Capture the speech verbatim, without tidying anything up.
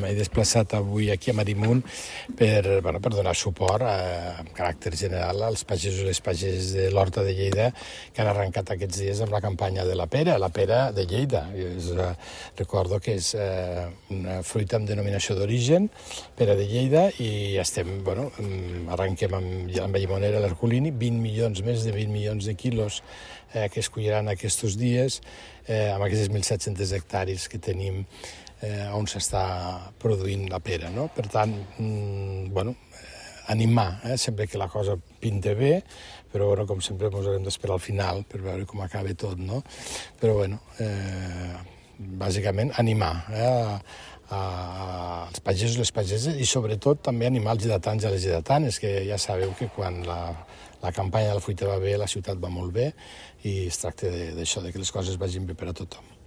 M'he desplaçat avui aquí a Marimunt per, bueno, per donar suport a, amb caràcter general als pagesos i les pageses de l'Horta de Lleida que han arrencat aquests dies amb la campanya de la pera, la pera de Lleida. És, eh, recordo que és eh, una fruita amb denominació d'origen, pera de Lleida, i estem, bueno, arrenquem amb, amb Llimonera l'Herculini, vint milions, més de vint milions de quilos eh, que es colliran aquests dies eh, amb aquestes mil set-cents hectàrees que tenim Eh, on s'està produint la pera, no? Per tant, mm, bueno, animar, eh? Sempre que la cosa pinta bé, però bueno, com sempre ens haurem d'esperar al final per veure com acaba tot, no? Però bueno, eh, bàsicament animar eh? a, a, als pagesos i les pageses i sobretot també animar els lleidatans i les lleidatanes, que ja sabeu que quan la, la campanya de la fruita va bé, la ciutat va molt bé i es tracta d'això, de que les coses vagin bé per a tothom.